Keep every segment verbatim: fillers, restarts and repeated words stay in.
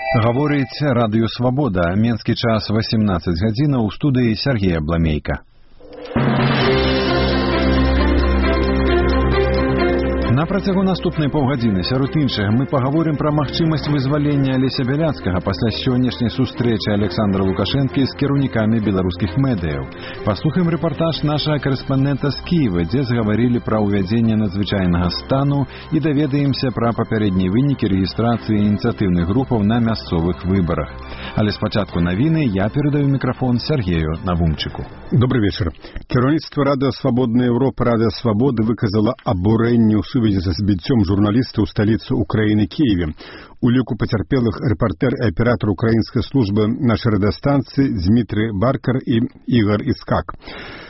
Гаворыць Радыё Свабода. Менскі час васемнаццаць гадзінаў, у студыі Сергея Бламейка. На працягу наступнай паўгадзіны сярод іншага мы пагаворым пра магчымасць вызвалення Алеся Бяляцкага пасля сённяшняй сустрэчы Александра Лукашэнкі з кіраўнікамі беларускіх медыяў. Паслухаем рэпартаж нашага карэспандэнта з Кіева, дзе згаварылі пра ўвядзенне надзвычайнага стану і даведаемся пра папярэднія вынікі рэгістрацыі ініцыятыўных групаў на мясцовых выбарах. Але спачатку навіны я перадаю мікрафон Сергею Навумчыку. Добрый вечер. Кіраўніцтва Радыё Свабодная Европа Радыё Свабоды выказала абурэнне ў сувязі са збіццём журналіста ў сталіцы Украіны Киеве. У ліку пацярпелых рэпартэр і аператар украінскай службы нашай радыёстанцыі Дмітрый Баркар і Ігор Іскак.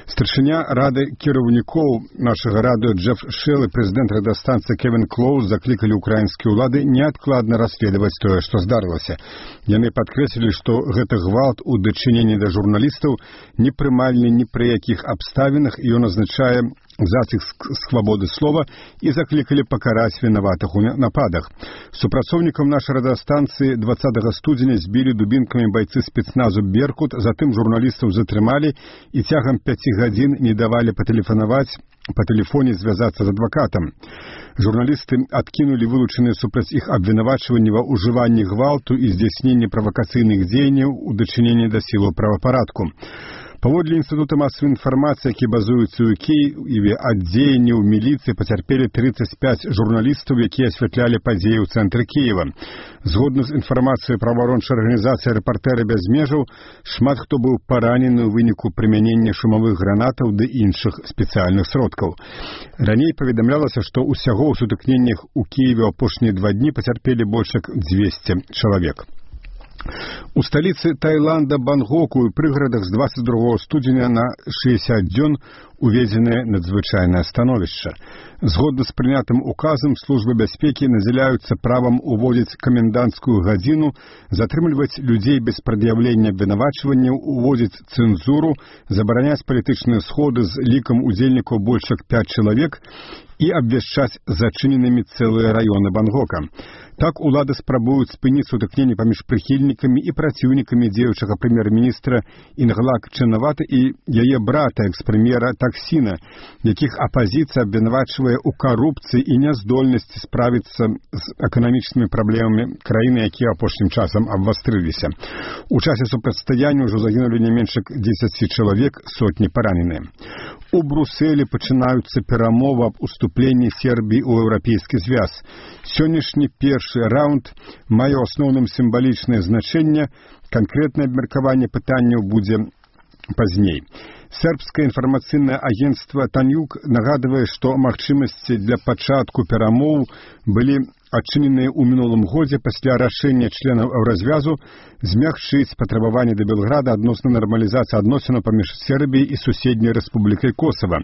Старшыня рады кіраўнікоў нашага радыё Джеф Шелл і прэзідэнт радыёстанцыі Кевін Клоуз заклікалі украінскія ўлады неадкладна расследаваць тое, што здарылася. Яны падкрэслілі, што гэты гвалт у дачыненні да журналістаў непрымальны ні пры якіх абставінах, і ён азначае заціск свабоды слова, і заклікалі пакараць вінаватых у нападах. Супрацоўнікам нашай радыёстанцыі дваццатага студзеня збілі дубінкамі байцы спецназу «Беркут», затым журналістаў затрымалі і цягам пяці гадзін не давалі патэлефанаваць па тэлефоне звязацца з адвакатам. Журналісты адкінулі вылучаныя супраць іх абвінавачванні ва ўжыванні гвалту і здзяйсненні правакацыйных дзеянняў у дачыненні да сілаў правапарадку. Паводле Інстытута масавай інфармацыі, які базуецца ў Кіеве, ад дзеянняў міліцыі пацярпелі трыццаць пяць журналістаў, якія асвятлялі падзеі ў цэнтры Кіева. Згодна з інфармацыяй праваабарончай арганізацыі «Рэпартэры без межаў», шмат хто быў паранены ў выніку прымянення шумавых гранатаў ды іншых спецыяльных сродкаў. Раней паведамлялася, што ўсяго ў сутыкненнях у Кіеве ў апошнія два дні пацярпелі больш як дзвесце чалавек. У сталіцы Таіланда Бангкоку і прыгарадах з дваццаць другога студзеня на шэсцьдзесят дзён уведзенае надзвычайнае становішча. Згодна з прынятым указам, службы бяспекі надзяляюцца правам уводзіць каменданцкую гадзіну, затрымліваць людзей без прад'яўлення абвінавачванняў, уводзіць цэнзуру, забараняць палітычныя сходы з лікам удзельнікаў больш як пяць чалавек і абвяшчаць зачыненымі цэлыя раёны Бангкока. Так улады спрабуюць спыніць сутыкненні паміж прыхільнікамі і праціўнікамі дзеючага прэм'ер-міністра Інглак Чэнаваты і яе брата, экс-прэм'ера Таксіна, якіх апазіцыя абвінавачвае ў карупцыі і няздольнасці справіцца з эканамічнымі праблемамі краіны, якія апошнім часам абвастрыліся. У часе супрацьстаяння ўжо загінулі не менш як дзесяць чалавек, сотні параненыя. У Брусэлі пачынаюцца перамовы аб уступленні Сербіі ў еўрапейскі звяз. Сённяшні першы раунд мае ў асноўным сімвалічнае значэнне, канкрэтнае абмеркаванне пытанняў будзе пазней. Сербскае інфармацыйнае агенцтва «Танюк» нагадвае, што магчымасці для пачатку перамоў былі адчыненыя ў мінулым годзе пасля рашэння членаў еўразвязу змягчыць патрабаванні да Белграда адносна нармалізацыі адносінаў паміж Сербіяй і суседняй рэспублікай Косава.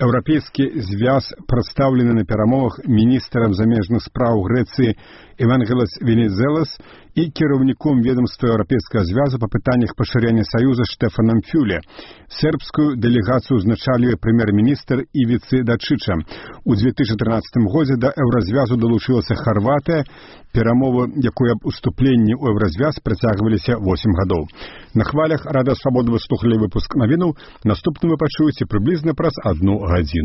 Еўрапейскі звяз прадстаўлены на перамовах міністрам замежных спраў Грэцыі Евангелос Венізелас і кіраўніком ведомства Еўрапейскага звязу па пытаннях пашырэння саюза Штефанам Фюле. Сербскую дэлегацыю узначалівае прэм'ер-міністр Івіцы Дачыча. У две тысячи трынаццатым годзе да еўразвязу далучылася Харватыя, перамовы, якой аб уступленні ў еўразвяз працягваліся восем гадоў. На хвалях Радыё Свабода вы слухалі выпуск навінаў. Наступны вы пачуеце прыблізна праз адну гадзіну.